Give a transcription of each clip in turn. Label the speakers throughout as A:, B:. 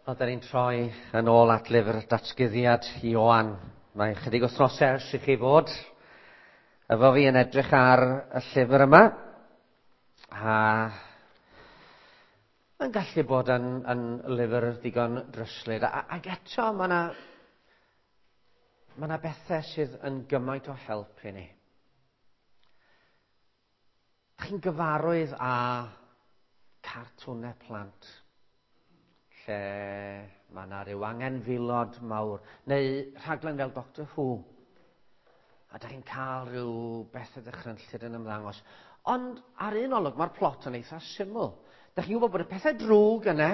A: Wel, da ni'n troi yn ôl at lyfr datguddiad Ioan. Mae chydig wythnosau ers i chi fod efo fi yn edrych ar y llyfr yma. A mae'n gallu bod yn, yn lyfr digon dryslyd. A, ac eto, mae yna mae yna bethau sydd yn gymaint o help i ni. Chi'n gyfarwydd â cartwnau plant lle mae yna rhyw angenfilod mawr, neu rhaglen fel Doctor Who, a da chi'n cael rhyw bethau dychrynllyd yn ymddangos. Ond ar un olwg mae'r plot yn eitha syml. Da chi'n gwybod bod y pethau drwg yna,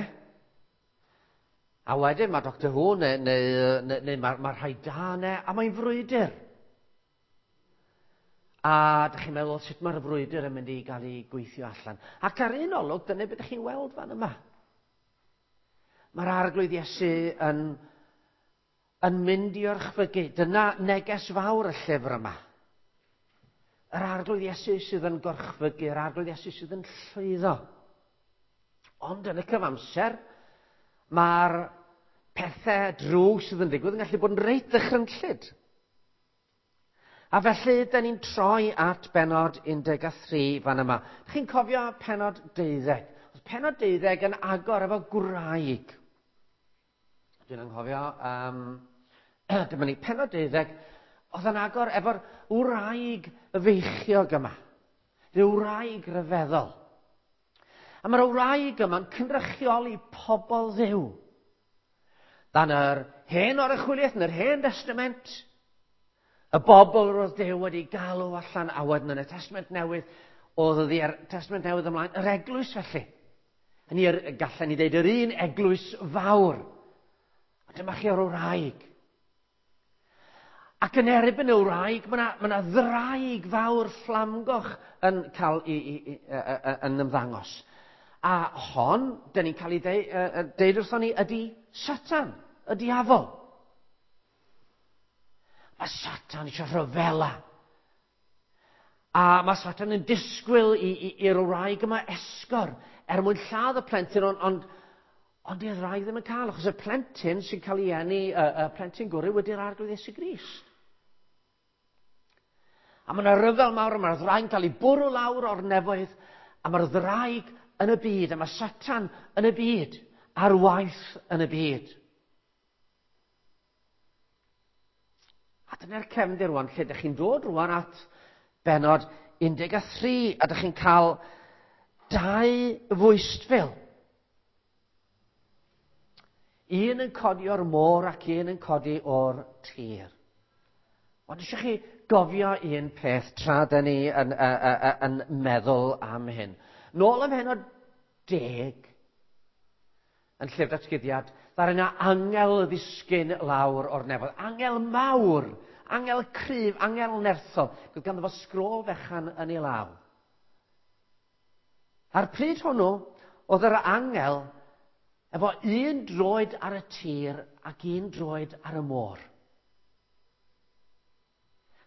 A: a wedyn mae Doctor Who neu, neu, neu, neu mae, mae rhai da yna, a mae'n frwydr. A dych chi'n meddwl sut mae'r frwydr yn mynd i gael ei gweithio allan. Ac ar un olwg, dyna beth ydych chi'n weld fan yma. Mae'r arglwydd Iesu yn, yn mynd i orchfygu. Dyna neges fawr y llyfr yma. Yr arglwydd Iesu sydd yn gorchfygu, yr arglwydd Iesu sydd yn llwyddo. Ond yn y cyfamser, mae'r pethau drwg sydd yn digwydd yn gallu bod yn reit ddychrynllyd. A felly, da ni'n troi at benod 13 fan yma. Chi'n cofio penod 12? Oedd penod 12 yn agor efo gwraig. Dwi'n anghofio, um, dyma ni, penod 12, oedd yn agor efo'r wraig feichiog yma. Rhyw wraig ryfeddol. A mae'r wraig yma'n cynrychioli pobl ddiw. Dan yr hen oruchwyliaeth yn yr hen testament, y bobl roedd Duw wedi galw allan a wedyn yn y Testament Newydd, oedd oddi ar Testament Newydd ymlaen, yr eglwys felly. Hynny yr, gallen ni ddeud yr un eglwys fawr. A dyma chi o'r wraig. Ac yn erbyn y wraig, mae yna ma ddraig fawr fflamgoch yn cael i, i, i, i, yn ymddangos. A hon, dyn ni'n cael ei deud, deud wrthon ni, ydy Satan, y diafol. Mae Satan eisiau rhyfela. A mae Satan yn disgwyl i'r wraig yma esgor er mwyn lladd y plentyn, ond, ond, ond i'r wraig ddim yn cael, achos y plentyn sy'n cael ei eni, y, y plentyn gwrw wedi'r arglwydd Iesu Grist. A mae yna ryfel mawr, a mae'r ddraig yn cael ei bwrw lawr o'r nefoedd, a mae'r ddraig yn y byd, a mae Satan yn y byd, ar waith yn y byd. A dyna'r cefndir rwan, lle ydych chi'n dod rwan at benod 13, a ydych chi'n cael dau fwystfil. Un yn codi o'r môr ac un yn codi o'r tir. Ond eisiau chi gofio un peth tra da ni yn, yn, yn, yn meddwl am hyn. Nôl ym mhenod 10, yn llyfr datguddiad, ddaru yna angel ddisgyn lawr o'r nefoedd. Angel mawr, angel cryf, angel nerthol. Gwyd ganddo fo sgrôl fechan yn ei law. A'r pryd hwnnw, oedd yr angel efo un droed ar y tir ac un droed ar y môr.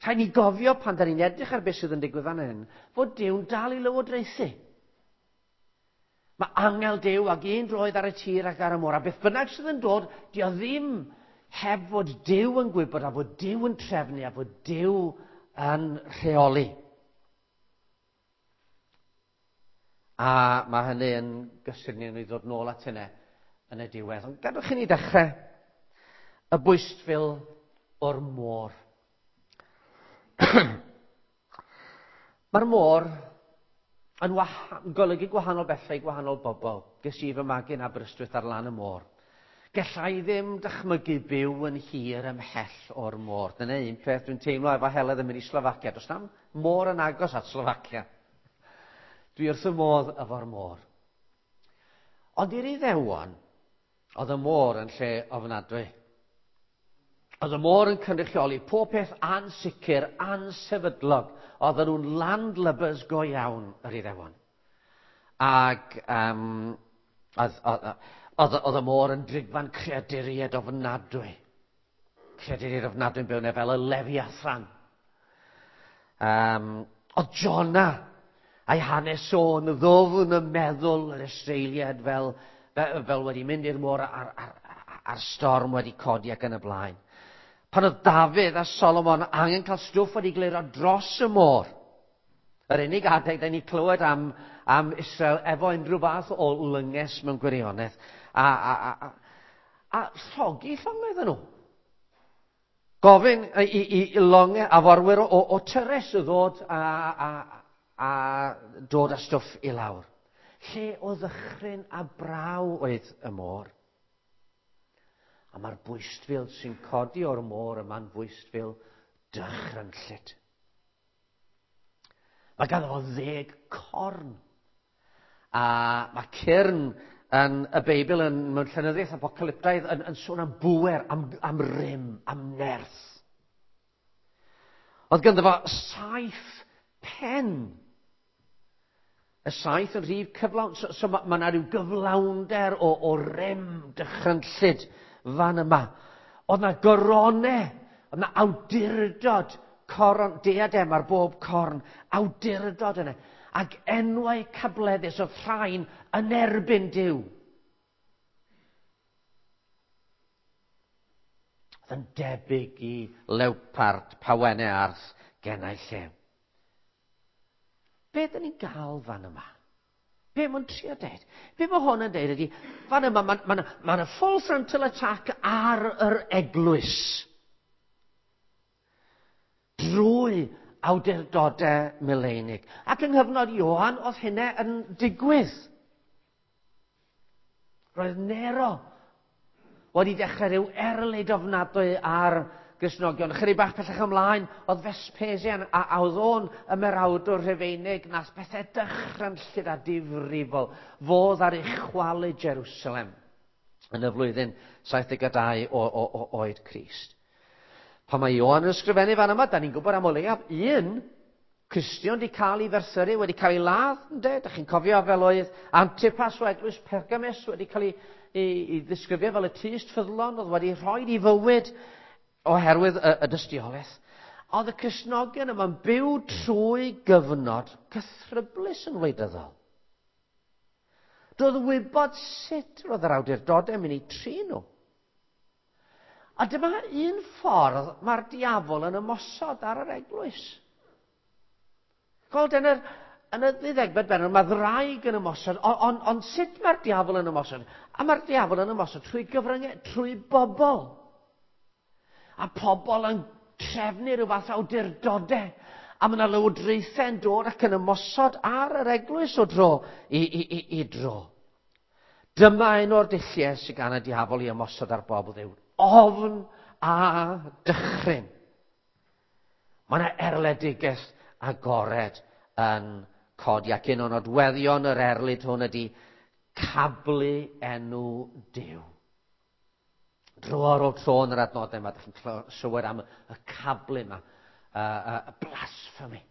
A: Rhaid ni gofio pan da ni'n edrych ar beth sydd yn digwydd fan hyn, fod Duw'n dal i lywodraethu. Mae angel Duw ag un droed ar y tir ac ar y môr, a beth bynnag sydd yn dod, di o ddim heb fod Duw yn gwybod a fod Duw yn trefnu a fod Duw yn rheoli. A mae hynny yn gysur ni i ddod nôl at hynny yn y diwedd. Ond gadwch i ni dechrau y bwystfil o'r môr. Mae'r môr yn golygu gwahanol bethau i gwahanol bobl. Ges i fy magu yn Aberystwyth ar lan y môr. Gella i ddim dychmygu byw yn hir ymhell o'r môr. Dyna un peth dwi'n teimlo efo Heledd yn mynd i Slofacia. Does na'm môr yn agos at Slofacia. Dwi wrth y modd efo'r môr. Ond i'r Iddewon, oedd y môr yn lle ofnadwy. Oedd y môr yn cynrychioli pob peth ansicr, ansefydlog. Oedden nhw'n landlubbers go iawn, yr Iddewon. Ac um, oedd, oedd, oedd, oedd y môr yn drigfan creaduriaid ofnadwy. Creaduriaid ofnadwy yn byw yna fel y Leviathan. Um, oedd Jonah a'i hanes o'n ddofn y meddwl yr Israeliad fel fel wedi mynd i'r môr a'r storm wedi codi ac yn y blaen. Pan oedd Dafydd a Solomon angen cael stwff wedi glirio dros y môr, yr unig adeg da ni clywed am Israel efo unrhyw fath o lynges mewn gwirionedd, a llogi llongau iddyn nhw. Gofyn i longau a forwyr o Tyrus i ddod a dod â stwff i lawr. Lle o ddychryn a braw oedd y môr. A mae'r bwystfil sy'n codi o'r môr yma'n fwystfil dychrynllyd. Mae ganddo fo 10 corn. A mae cyrn yn y Beibl mewn llenyddiaeth apocalyptaidd yn sôn am bŵer, am rym, am nerth. Oedd ganddo fo 7 pen. Y 7 yn rhif cyflawn. So ma' 'na ryw gyflawnder o rym dychrynllyd fan yma. Oedd 'na gorone, oedd 'na awdurdod, coron, diadem ar bob corn, awdurdod yna. Ac enwau cableddus oedd rhain yn erbyn Duw. Oedd yn debyg i lewpard, pawennau arth, genau llew. Be dyn ni'n gael fan yma? Be mae'n trio deud? Be mae hwn yn deud ydy, fan yma, ma' 'na full frontal attack ar yr eglwys. Drwy awdurdodau mileinig. Ac yng nghyfnod Ioan, oedd hynna yn digwydd. Roedd Nero wedi dechrau rhyw erlid ofnadwy ar Gristnogion. Chydig bach pellach ymlaen, oedd Vespasian a oedd o'n ymerawdwr Rhufeinig nath bethau dychrynllyd a difrifol fodd ar ei chwalu Jerusalem yn y flwyddyn 72 o oed Crist. Pan mae Ioan yn ysgrifennu fan yma, da ni'n gwybod am o leiaf un Cristion wedi cael ei ferthyru, wedi cael ei ladd, ynde? Da chi'n cofio fel oedd Antipas o eglwys Pergamus wedi cael ei ddisgrifio fel y tyst ffyddlon, oedd wedi rhoi ei fywyd oherwydd y dystiolaeth. Oedd y Cristnogion yma'n byw trwy gyfnod cythryblus yn wleidyddol. Doedd wybod sut roedd yr awdurdodau yn mynd i trin nhw. A dyma un ffordd mae'r diafol yn ymosod ar yr eglwys. Gweld, yn y ddeuddegfed bennod, mae ddraig yn ymosod, ond sut mae'r diafol yn ymosod? A mae'r diafol yn ymosod trwy gyfryngau, trwy bobl. A pobl yn trefnu rhyw fath awdurdodau. A mae yna lywodraethau yn dod ac yn ymosod ar yr eglwys o dro i dro. Dyma un o'r dulliau sydd gan y diafol i ymosod ar bobl Dduw. Ofn a dychryn. Mae yna erledigaeth agored yn codi, ac un o nodweddion yr erlid hwn ydy cablu enw Duw. Dro ar ôl tro yn yr adnodau yma, dych chi'n clywed am y cablu yma, y blasphemy.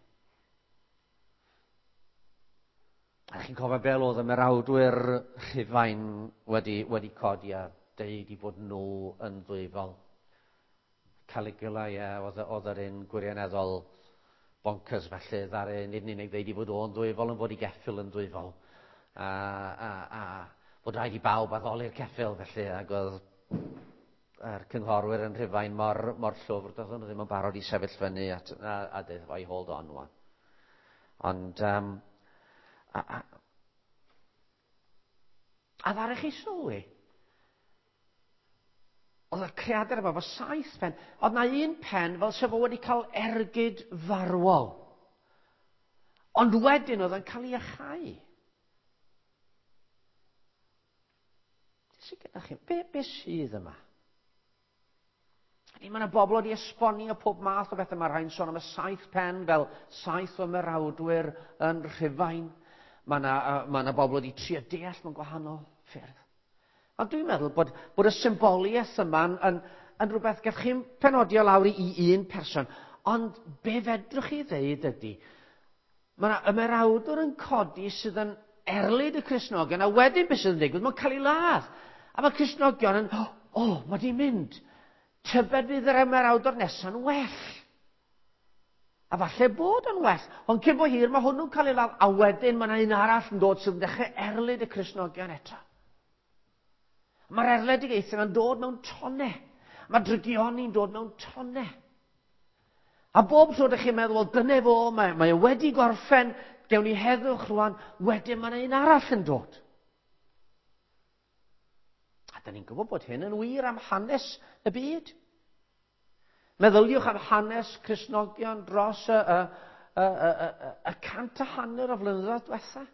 A: A chi'n cofio fel oedd y merawdwyr Rhufain wedi codi a deud i fod nhw yn ddwyfol. Caligula, ie, oedd yr un gwirioneddol bonkers felly, ddaru nid yn unig ddeud i fod o'n ddwyfol, ond fod i geffyl yn ddwyfol. A fod rhaid i bawb addoli'r ceffyl felly, ac oedd yr cynghorwyr yn Rhufain mor llwfr, doedden nhw ddim yn barod i sefyll fyny a dweud, oi, hold on, wan. Ond, a ddaru chi sylwi, oedd y creadur yma efo 7 pen, oedd na un pen fel sef o wedi cael ergyd farwol. Ond wedyn oedd yn cael ei achau. Sydd gyda chi? Be sydd yma? Mae yna bobl wedi esbonio pob math o bethau. Mae rhai'n sôn am y 7 pen fel 7 o ymerawdwyr yn Rhufain. Mae yna bobl wedi trio deall mewn gwahanol ffyrdd. Ond dwi'n meddwl bod y symboliaeth yma yn rhywbeth gallwch chi'n penodio lawr i un person. Ond be fedrwch chi ddeud ydy, mae yna ymerawdwr yn codi sydd yn erlid y Cristnogion, a wedyn beth sydd yn digwydd, mae'n cael ei ladd. A mae Cristnogion yn, o, mae di mynd. Tybed fydd yr ymerawdwr nesa'n well. A falle bod yn well, ond cyn bo hir mae hwnnw'n cael ei ladd, a wedyn mae yna un arall yn dod sydd yn dechrau erlid y Cristnogion eto. Mae'r erledigaethau yma'n dod mewn tonau. Mae drygioni'n dod mewn tonau. A bob tro ydych chi'n meddwl, wel, dyna fo, mae e wedi gorffen, gewn ni heddwch rwan, wedyn mae yna un arall yn dod. A da ni'n gwybod bod hyn yn wir am hanes y byd. Meddyliwch am hanes Cristnogion dros y 150 o flynyddoedd diwetha.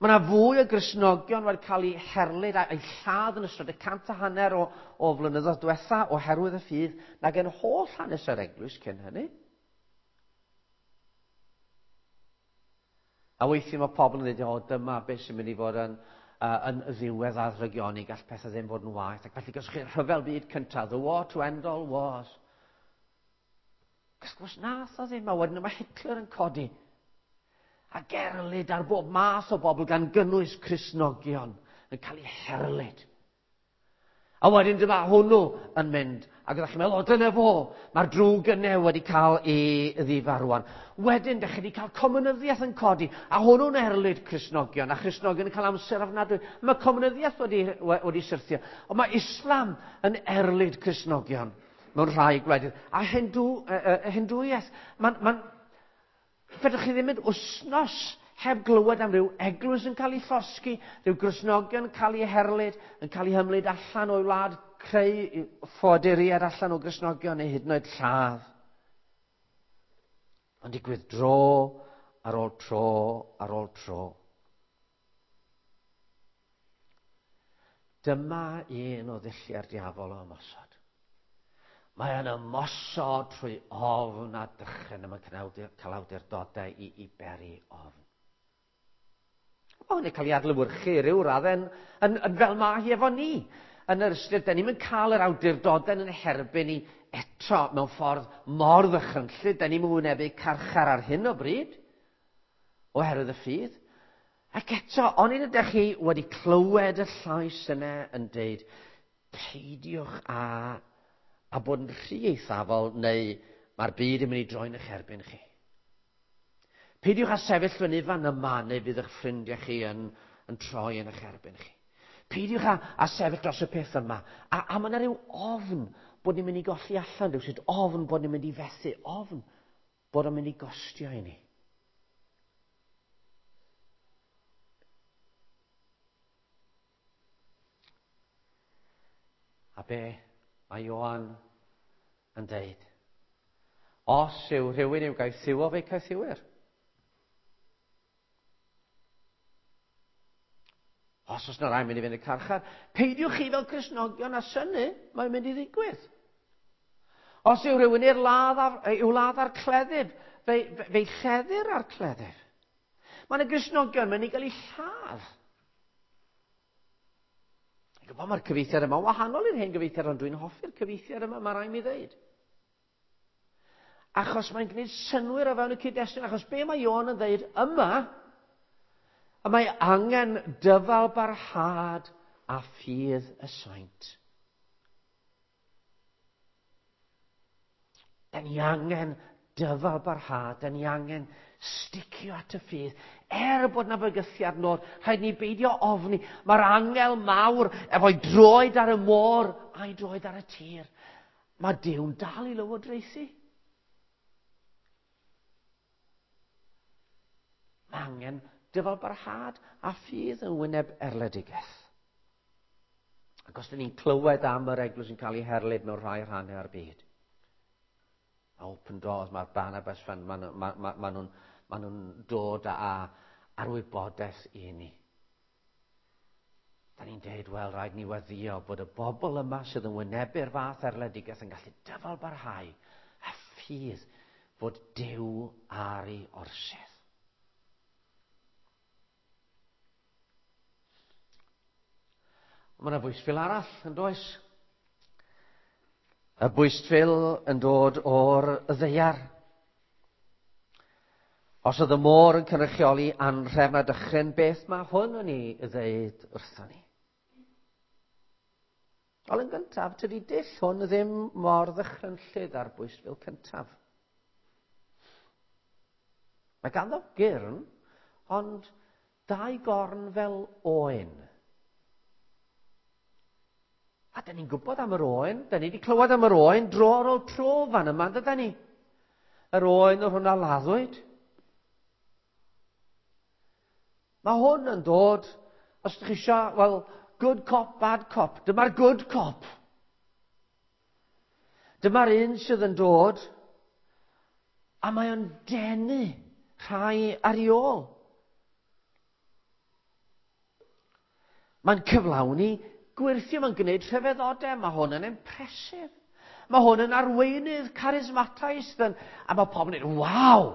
A: Mae yna fwy o Gristnogion wedi cael eu herlid a'u lladd yn ystod y 150 o flynyddoedd diwetha oherwydd y ffydd nag yn holl hanes yr eglwys cyn hynny. A weithiau mae pobl yn dweud, o, dyma beth sy'n mynd i fod yn ddiwedd ar ddrygioni, gall pethau ddim fod yn waeth. Ac felly, gallwch chi rhyfel byd cyntaf, the war to end all wars. Wrth gwrs nath o ddim, a wedyn mae Hitler yn codi. A gerlid ar bob math o bobl gan gynnwys Cristnogion yn cael eu herlid. A wedyn dyma hwnnw yn mynd, ac ydych chi'n meddwl, o dyna fo, mae'r drwg yna wedi cael ei ddifa rwan. Wedyn, dych chi wedi cael comunyddiaeth yn codi, a hwnnw'n erlid Cristnogion, a Christnogion yn cael amser ofnadwy. Mae comunyddiaeth wedi syrthio, ond mae Islam yn erlid Cristnogion mewn rhai gwledydd. A Hindwiaeth, fedrwch chi ddim mynd wsnos heb glywed am ryw eglwys yn cael ei llosgi, rhyw Gristnogion yn cael ei herlid, yn cael ei hymlid allan o'i wlad, creu ffoaduriaid allan o Gristnogion neu hyd yn oed lladd. Ond digwydd dro ar ôl tro ar ôl tro. Dyma un o ddulliau'r diafol o ymosod. Mae yn ymosod trwy ofn a dychryn, a mae'n cael awdurdodau i beri ofn. Mae hwn yn cael ei adlewyrchu ryw raddau yn fel mae hi efo ni. Yn yr ystyr, da ni'm yn cael yr awdurdodau yn herbyn ni eto mewn ffordd mor ddychrynllyd. Da ni'm yn wynebu carchar ar hyn o bryd, oherwydd y ffydd. Ac eto, onid ydych chi wedi clywed y llais yna yn deud, peidiwch a bod yn rhy eithafol neu mae'r byd yn mynd i droi'n eich erbyn chi. Peidiwch â sefyll fyny fan yma neu fydd eich ffrindiau chi yn troi yn eich erbyn chi. Peidiwch â sefyll dros y peth yma. A mae yna rhyw ofn bod ni'n mynd i golli allan rhywsut, ofn bod ni'n mynd i fethu, ofn bod o'n mynd i gostio i ni. A be mae Ioan yn deud? Os yw rhywun i'w gaethiwo, fe'i caethiwir. Os oes yna rai mynd i fynd i'r carchar, peidiwch chi fel Cristnogion â synnu, mae'n mynd i ddigwydd. Os yw rhywun i'r ladd ar, i'w ladd ar cleddyf, fe'i lleddir ar cleddyf. Mae yna Gristnogion mynd i gael eu lladd. Dwi'n gwybod mae'r cyfieithiad yma wahanol i'r hen gyfieithiad, ond dwi'n hoffi'r cyfieithiad yma, mae rhaid mi ddeud. Achos mae'n gwneud synnwyr o fewn y cyd-destun, achos be mae Ioan yn ddeud yma, y mae angen dyfal barhad a ffydd y saint. Da ni angen dyfal barhad, da ni angen sticio at y ffydd. Er bod na fygythiad nod, rhaid ni beidio ofni. Mae'r angel mawr efo'i droed ar y môr a'i droed ar y tir. Mae Duw'n dal i lywodraethu. Mae angen dyfal barhad a ffydd yn wyneb erledigaeth. Ac os dyn ni'n clywed am yr eglwys yn cael ei herlid mewn rhai rhannau o'r byd, mae Open Doors, mae'r Barnabas Fund, ma nhw'n dod â'r wybodaeth i ni. Da ni'n deud, wel, rhaid ni weddio bod y bobl yma sydd yn wynebu'r fath erledigaeth yn gallu dyfal barhau a ffydd fod Duw ar ei orsedd. Mae yna bwystfil arall, yn does? Y bwystfil yn dod o'r ddaear. Os oedd y môr yn cynrychioli anhrefn a dychryn, beth mae hwn yn ei ddeud wrthon ni? Wel, yn gyntaf, tydi dull hwn ddim mor ddychrynllyd â'r bwystfil cyntaf. Mae ganddo gyrn, ond dau gorn fel oen. A da ni'n gwybod am yr oen, da ni wedi clywed am yr oen dro ar ôl tro fan yma, dyda ni? Yr oen o'r hwnna laddwyd. Mae hwn yn dod, os ydych chi eisiau, wel, good cop, bad cop. Dyma'r good cop. Dyma'r un sydd yn dod, a mae o'n denu rhai ar ei ôl. Mae'n cyflawni gwyrthio, mae'n gwneud rhyfeddodau, mae hwn yn impressive. Mae hwn yn arweinydd charismataidd, a mae pobl yn dweud, waw!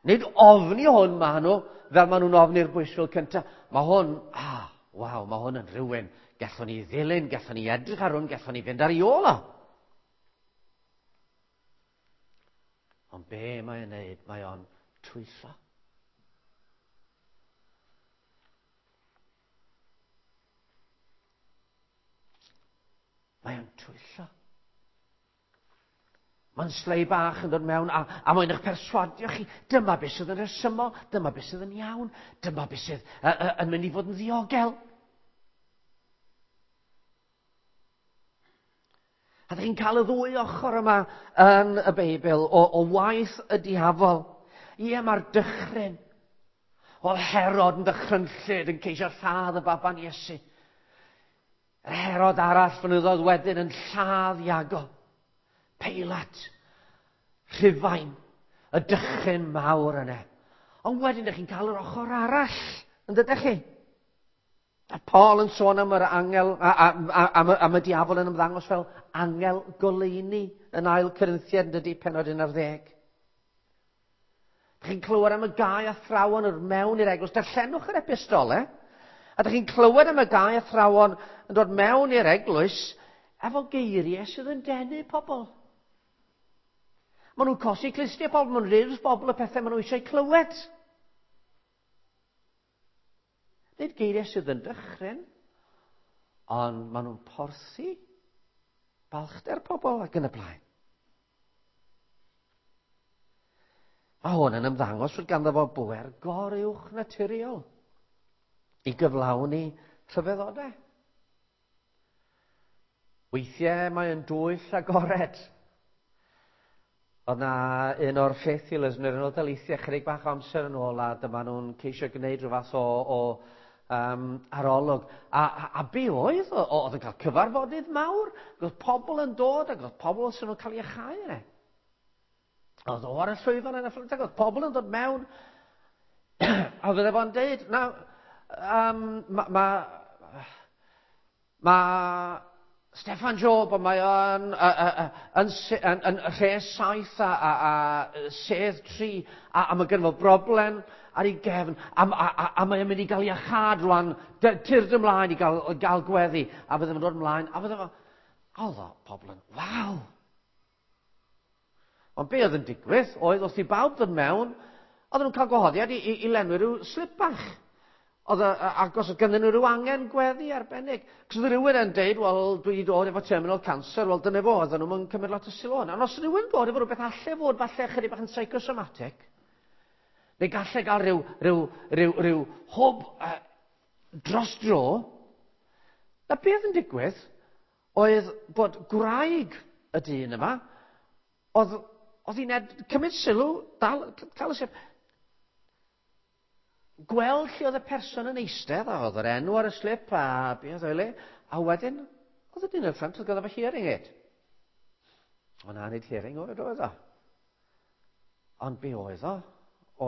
A: Nid ofni hwn maen nhw, fel maen nhw'n ofni'r bwysfil cyntaf. Mae hwn, ah, waw, mae hwn yn rhywun. Gallwn ni ddilyn, gallwn ni edrych ar hwn, gallwn ni fynd ar ei ôl o. Ond be mae'n neud? Mae o'n twyllo. Mae o'n twyllo. Mae'n slei bach yn dod mewn a, a mae'n eich perswadio chi. Dyma beth sydd yn rhesymol, dyma beth sydd yn iawn, dyma beth sydd uh, uh, yn mynd i fod yn ddiogel. A ydych chi'n cael y ddwy ochr yma yn y Beibl o, o waith y diafol. Ie, mae'r dychryn. Oedd Herod yn dychrynllyd yn ceisio lladd y baban Iesu. Yr Herod arall flynyddoedd wedyn yn lladd Iago. Peilat, Rhufain, y dychryn mawr yna. Ond wedyn ydych chi'n cael yr ochr arall, yn dydych chi? A Paul yn sôn am yr angel, a, a, a, am, am y diafol yn ymddangos fel angel goleuni yn ail Corinthiad yn dydy penod 11. Dych chi'n clywed am y gau athrawon yr mewn i'r eglwys. Darllenwch yr epistole. A dych chi'n clywed am y gau athrawon yn dod mewn i'r eglwys efo geiriau sydd yn denu pobl. Maen nhw'n cosi clustiau pobl, maen nhw'n rhydd bobl y pethau maen nhw eisiau clywed. Nid geiriau sydd yn dychryn, ond maen nhw'n porthi balchder pobl ac yn y blaen. Mae hwn yn ymddangos fod ganddo fo bwer goruwch naturiol i gyflawni rhyfeddodau. Weithiau mae yn dwyll agored. Oedd na un o'r faith healers yn yr Unol Daleithiau chydig bach o amser yn ôl a dyma nhw'n ceisio gwneud rhyw fath o, o um, arolwg. A, a, a be oedd? Oedd yn cael cyfarfodydd mawr, oedd pobl yn dod ac oedd pobl sy'n nhw'n cael ei achau yna. Oedd o ar y llwyfan yn y ffrynt ac oedd pobl yn dod mewn a fydde fo'n deud, na, um, ma, ma, Mae Steffan Job, ond mae o'n yn, yn, yn, rhes saith a, a, a sedd tri, a, a mae gen fo broblem ar ei gefn, a, a, a, a mae o'n mynd i gael ei achad rwan, tyrd ymlaen i gael, gael gweddi, a fydde fo'n dod ymlaen, a fydde fo... Oedd o pobl yn, waw! Ond be oedd yn digwydd oedd wrth i bawb ddod mewn, oedden nhw'n cael gwahoddiad i, i, i lenwi rhyw slip bach. Oedd y, ac os oedd ganddyn nhw rhyw angen gweddi arbennig. Cos oedd rhywun yn deud, wel, dwi wedi dod efo terminal cancer, wel, dyna fo, oedden nhw'n cymryd lot o sylw hwnna. Ond os rhywun dod efo rhywbeth alle fod falle chydig bach yn psychosomatic, neu galle gael rhyw, rhyw, rhyw, rhyw hwb uh, dros dro, na beth yn digwydd oedd bod gwraig y dyn yma, oedd, oedd hi'n ed, cymryd sylw, dal, cael y sef, gweld lle oedd y person yn eistedd, a oedd yr enw ar y slip, a be oedd o'i le, a wedyn, oedd y dyn yn ffrant, oedd gyda fo hearing aid. O na, nid hearing oedd oedd o. Ond be oedd o?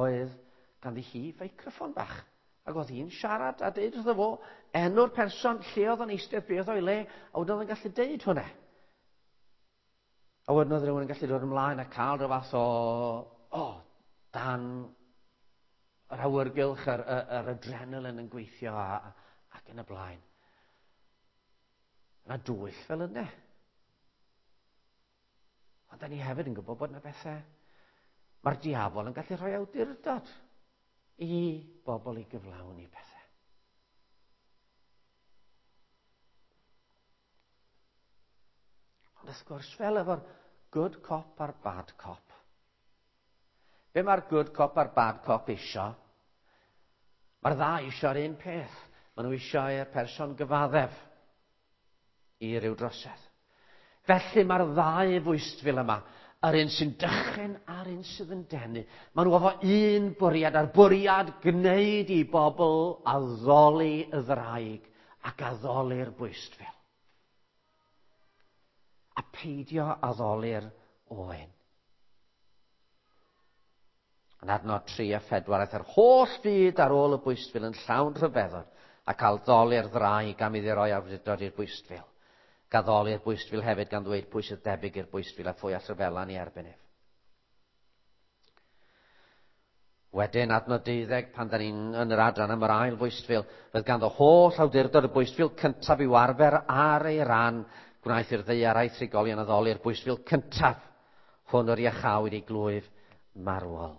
A: Oedd ganddi hi feicroffon bach. Ac oedd hi'n siarad a deud wrtho fo enw'r person, lle oedd o'n eistedd, be oedd o'i le, a wedyn oedd o'n gallu deud hwnna. A wedyn oedd rhywun yn gallu dod ymlaen a cael rhyw fath o, o, dan yr awyrgylch, yr, yr, yr adrenalin yn gweithio a, ac yn y blaen. Yna dwyll fel yna. Ond da ni hefyd yn gwybod bod yna bethau... Mae'r diafol yn gallu rhoi awdurdod i bobl i gyflawni pethau. Ond wrth gwrs, fel efo'r good cop a'r bad cop, be mae'r good cop a'r bad cop isio? Mae'r ddau isio'r un peth. Maen nhw eisiau i'r person gyfaddef i ryw drosedd. Felly mae'r ddau fwystfil yma, yr un sy'n dychryn a'r un sydd yn denu, maen nhw efo un bwriad, a'r bwriad gwneud i bobl addoli y ddraig ac addoli'r bwystfil. A peidio addoli'r oen. Yn adnod 3 a 4, aeth yr holl fyd ar ôl y bwystfil yn llawn rhyfeddod ac addoli'r ddraig am iddi roi awdurdod i'r bwystfil. Gaddoli'r bwystfil hefyd gan ddweud pwy sydd debyg i'r bwystfil a phwy all ryfela yn ei erbyn ef. Wedyn, adnod 12, pan da ni'n yn yr adran am yr ail fwystfil, roedd ganddo holl awdurdod y bwystfil cyntaf i'w arfer ar ei ran, gwnaeth i'r ddaear a'i thrigolion addoli'r bwystfil cyntaf, hwn yr iachawyd ei glwyf marwol.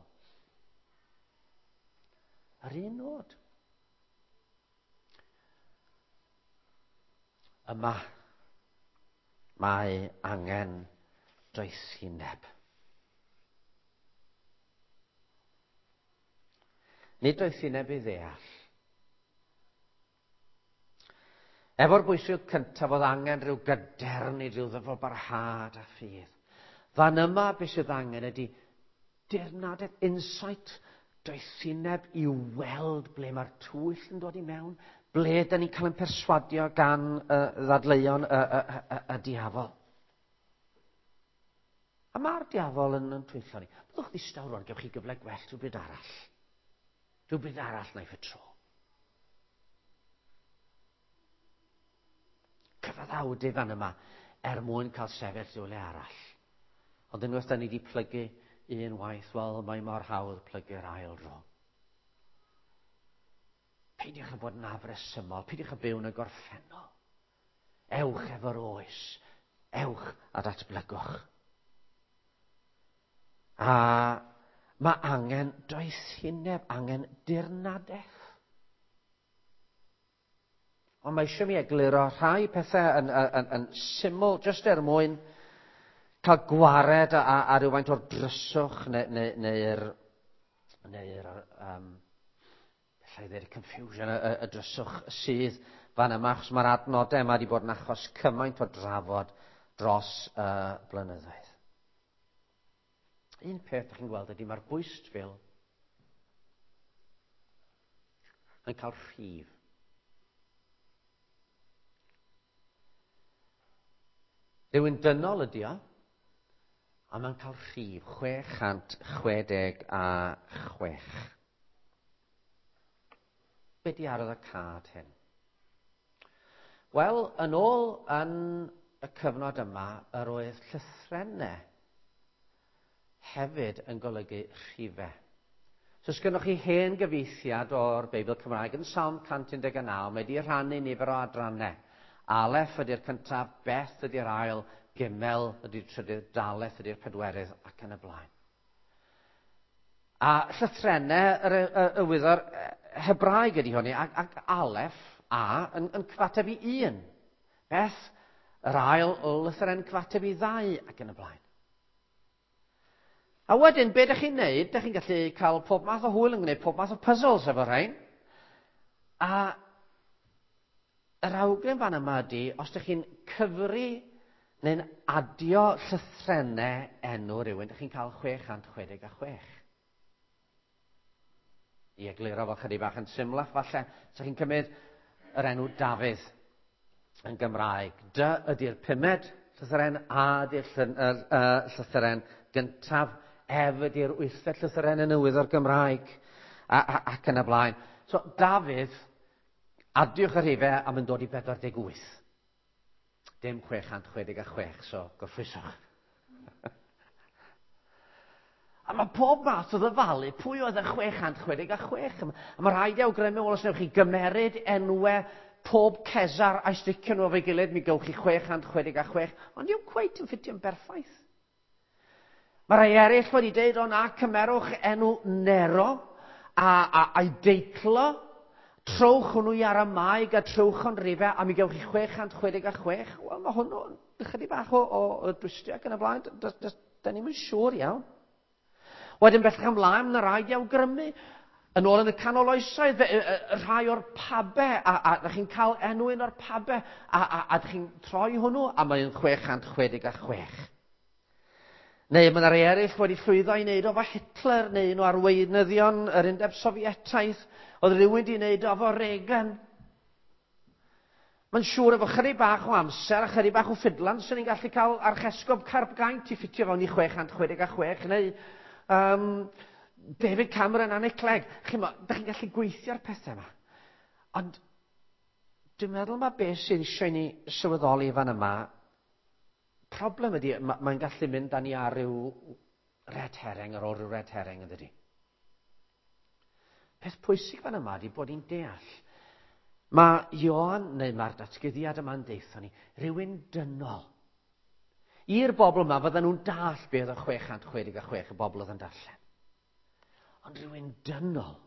A: Yr un nod. Yma, mae angen doethineb. Nid doethineb i ddeall. Efo'r bwysig cyntaf oedd angen rhyw gadernid, rhyw ddyfalbarhad a ffydd. Fan yma beth sydd angen ydy dirnadaeth, insight, doethineb i weld ble mae'r twyll yn dod i mewn, ble da ni'n cael ein perswadio gan ddadleuon y, y, y, y diafol. A mae'r diafol yn, yn twyllo ni. Byddwch ddistaw rwan, gewch chi gyfle gwell rhywbryd arall. Rhywbryd arall naiff y tro. Cyfaddawdu fan yma er mwyn cael sefyll rhywle arall. Ond unwaith da ni wedi plygu un waith, wel, mae mor hawdd plygu'r ail dro. Peidiwch â bod yn afresymol, peidiwch â byw yn y gorffennol. Ewch efo'r oes, ewch a datblygwch. A mae angen doethineb, angen dirnadaeth. Ond mae eisiau mi egluro rhai pethau yn, yn, yn, yn syml, jyst er mwyn cael gwared a, a, a rhywfaint o'r dryswch neu'r neu, neu neu um, allai ddweud y confusion, y, y, y dryswch sydd fan yma, achos mae'r adnodau yma wedi bod yn achos cymaint o drafod dros y blynyddoedd. Un peth ydych chi'n gweld ydy mae'r bwystfil yn cael rhif. Rhywun dynol ydy o, a mae'n cael rhif 666. Be di arwydd y cad hyn? Wel, yn ôl yn y cyfnod yma, yr oedd llythrennau hefyd yn golygu rhifau. So, os gynnwch chi hen gyfieithiad o'r Beibl Cymraeg yn Salm 119, mae wedi rhannu nifer o adrannau. Aleph ydy'r cyntaf, Beth ydy'r ail, Gimel ydy'r trydydd, Daleth ydy'r pedwerydd, ac yn y blaen. A llythrennau yr, y, y wyddor Hebraeg ydy hwnni, ac, ac Aleph, A, yn, yn cyfateb i un. Beth, yr ail lythyren cyfateb i ddau, ac yn y blaen. A wedyn, be ydych chi'n neud? Dych chi'n gallu cael pob math o hwyl yn gwneud pob math o puzzles efo rhain. A yr awgrym fan yma ydy, os ydych chi'n cyfri neu'n adio llythrennau enw rhywun, ydych chi'n cael 666. I egluro fo chydig bach yn symlach falle, so chi'n cymryd yr enw Dafydd yn Gymraeg. D ydy'r pumed llythyren, A ydy'r llythyren gyntaf, F ydy'r wythfed llythyren yn y wyddor Gymraeg, a, a, ac yn y blaen. So, Dafydd, adiwch y rhifau a mae'n dod i 48. Dim 666, so gorffwyswch. A mae pob math o ddyfalu pwy oedd y 666 yma. A mae rhaid i awgrymu, wel, os newch chi gymeryd enwau pob Cesar a'i sticio nhw efo'i gilydd, mi gewch chi 666, ond yw cweit yn ffitio'n berffaith. Mae rhai eraill wedi deud, o na, cymerwch enw Nero a, a, a'i deitlo, trowch hwnnw i Aramaeg a trowch o'n rifau, a mi gewch chi 666. Wel, mae hwnnw'n ychydig bach o, o, o dwystio ac yn y blaen. Da ni'n siŵr iawn. Wedyn bellach ymlaen, mae yna rhaid i awgrymu. Yn ôl yn y canol oesoedd, rhai o'r pabe, a ydych chi'n cael enw un o'r pabe, a ydych chi'n troi hwnnw, a mae'n 666. Neu mae yna rhai eraill wedi llwyddo i wneud o fo Hitler, neu un o arweinyddion yr Undeb Sofietaidd, oedd rhywun wedi wneud o fo Reagan. Mae'n siŵr efo chydig bach o amser a chydig bach o ffidlan, swn i'n gallu cael archesgob Carpgaint i ffitio fewn i 666, neu David Cameron a Nick Clegg. Chi'mo, da chi'n gallu gweithio'r pethau yma. Ond dwi'n meddwl mae beth sydd eisiau i ni sylweddoli fan yma, problem ydy, mae'n gallu mynd â ni ar ryw red herring ar ôl ryw red herring, yn dydy. Peth pwysig fan yma ydy bod ni'n deall. Mae Ioan, neu mae'r datguddiad yma'n deutho ni, rhywun dynol. I'r bobl yma, fydden nhw'n dall beth oedd 666 y bobl oedd yn darllen. Ond rhywun dynol.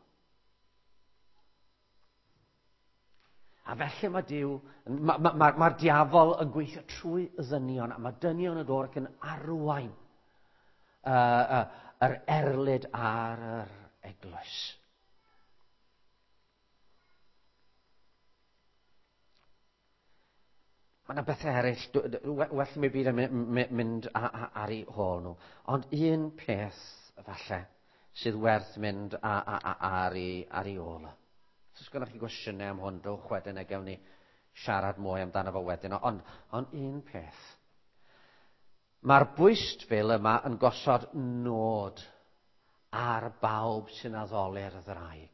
A: A felly mae Duw, mae'r diafol yn gweithio trwy ddynion, a mae dynion yn dod ac yn arwain yr erlid ar yr eglwys. Mae yna bethau eraill, well mi byd yn mynd ar eu hôl nhw. Ond un peth, falle, sydd werth mynd ar ei ôl. Os oes gennych chi gwestiynau am hwn, dowch wedyn a gewn ni siarad mwy amdano fo wedyn. Ond un peth. Mae'r bwystfil yma yn gosod nod ar bawb sy'n addoli'r ddraig.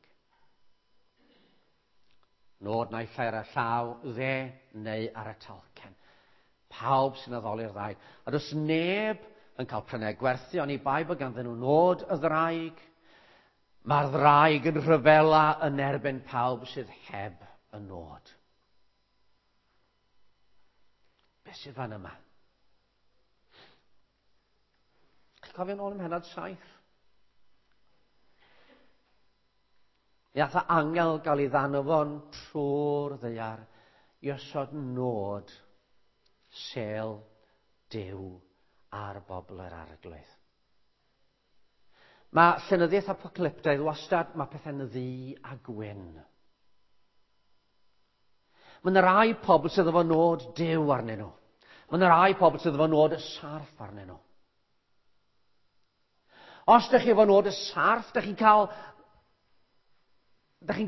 A: Nod naill ai ar y llaw dde neu ar y talcen. Pawb sy'n addoli'r ddraig. A does neb yn cael prynu a gwerthu, oni bai bod ganddyn nhw nod y ddraig. Mae'r ddraig yn rhyfela yn erbyn pawb sydd heb y nod. Beth sydd fan yma? Chi'n cofio nôl ym mhennod 7? Mi ath angel gael ei ddanfon trwy'r ddaear i osod nod sêl Duw ar bobl yr Arglwydd. Mae llenyddiaeth apocalyptaidd wastad, mae pethau'n ddu a gwyn. Mae yna rai pobl sydd efo nod Duw arnyn nhw. Mae yna rai pobl sydd efo nod y sarff arnyn nhw. Os ydych chi efo nod y sarff, ydych chi'n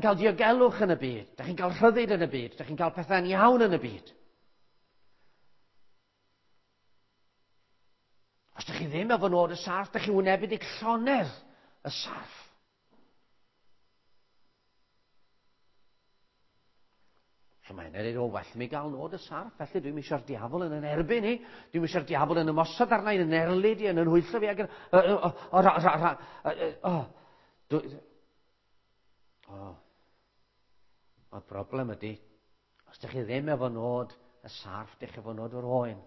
A: cael diogelwch yn y byd, ydych chi'n cael rhyddid yn y byd, ydych chi'n cael pethau'n iawn yn y byd. Os ydych chi ddim efo nod y sarff, ydych chi'n wynebu dig llonydd y sarff. So mae'n dweud, o, well mi gael nod y sarff, felly dwi'm eisiau'r diafol yn yn erbyn i, dwi'm eisiau'r diafol yn ymosod arna i, yn erlid i, yn yn hwyllo fi, ac yn... O, ra, ra, ra, o, dwi, o. Mae'r broblem ydy, os ydych chi ddim efo nod y sarff, ydych chi efo nod yr oen.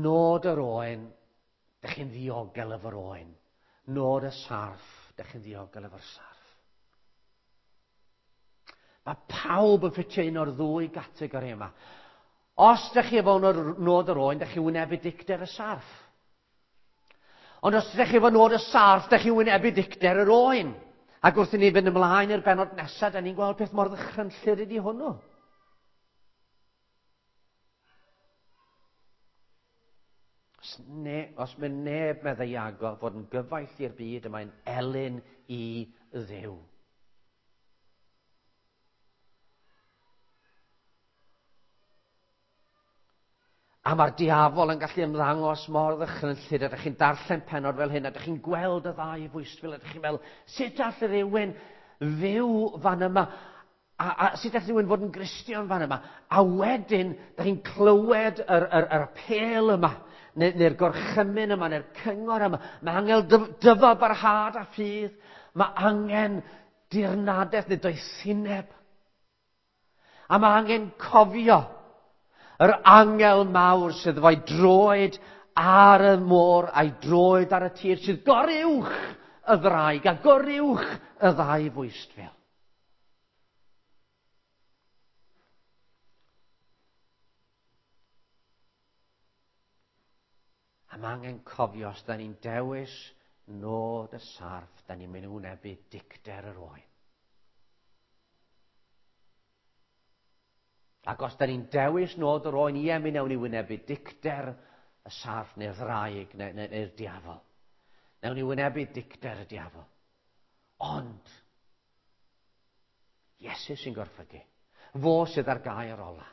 A: Nod yr oen, dych chi'n ddiogel efo'r oen. Nod y sarff, dych chi'n ddiogel efo'r sarff. Mae pawb yn ffitio un o'r ddwy gategori yma. Os dych chi efo nod yr oen, dych chi'n wynebu dicter y sarff. Ond os dych chi efo nod y sarff, dych chi'n wynebu dicter yr oen. Ac wrth i ni fynd ymlaen i'r bennod nesaf, da ni'n gweld peth mor ddychrynllyd ydi hwnnw. Os mae neb, meddai Iago, fod yn gyfaill i'r byd, y mae'n elyn i Dduw. A mae'r diafol yn gallu ymddangos mor ddychrynllyd, a ydych chi'n darllen pennod fel hyn, a ydych chi'n gweld y ddau fwystfil, a ydych chi'n meddwl, sut all rhywun fyw fan yma? A sut all rhywun fod yn Gristion fan yma? A wedyn, ydych chi'n clywed yr apêl yma, neu'r gorchymyn yma, neu'r cyngor yma. Mae angen dyfal barhad a ffydd. Mae angen dirnadaeth neu doethineb. A mae angen cofio yr angel mawr sydd efo'i droed ar y môr a'i droed ar y tir, sydd goruwch y ddraig a goruwch y ddau fwystfil. A mae angen cofio os da ni'n dewis Nod y sarff, da ni'n mynd i wynebu dicter yr oen. Ac os da ni'n dewis nod yr oen, ie, mi wnawn ni wynebu dicter y sarff neu'r ddraig neu'r neu, neu diafol. Newn ni wynebu dicter y diafol. Ond, Iesu sy'n gorffygu. Fo sydd ar gair ola.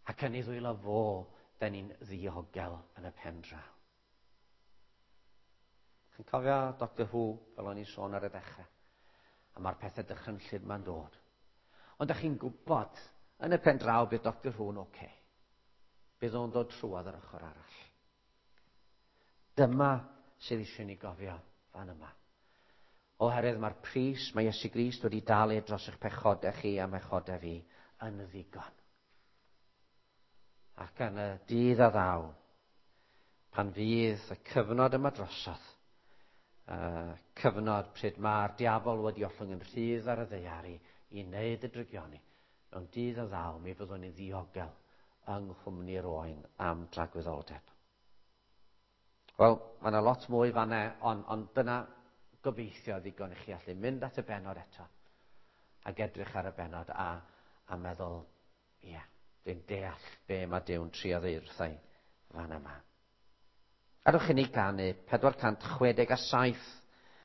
A: Ac yn ei ddwylo fo, da ni'n ddiogel yn y pen draw. Chi'n cofio Doctor Who, fel o'n i'n sôn ar y dechrau? A mae'r pethau dychrynllyd ma'n dod. Ond da chi'n gwybod, yn y pen draw, bydd Doctor Who'n oce. Okay. Bydd o'n dod trwodd yr ochr arall. Dyma sydd eisiau ni gofio fan yma. Oherwydd mae'r pris mae Iesu Grist wedi dalu dros eich pechodau chi a mechodau fi yn ddigon. Ac yn y dydd a ddaw, pan fydd y cyfnod yma drosodd, cyfnod pryd mae'r diafol wedi ollwng yn rhydd ar y ddaear i wneud y drygioni, mewn dydd a ddaw, mi fyddwn ni'n ddiogel yng nghwmni'r oen am dragwyddoldeb. Wel, mae yna lot mwy fanna, ond on dyna gobeithio ddigon i chi allu mynd at y bennod eto ac edrych ar y bennod a meddwl, ie, yeah, dwi'n deall be mae Duw'n trio ddeud wrtha i fan yma. Adewch i ni ganu 467.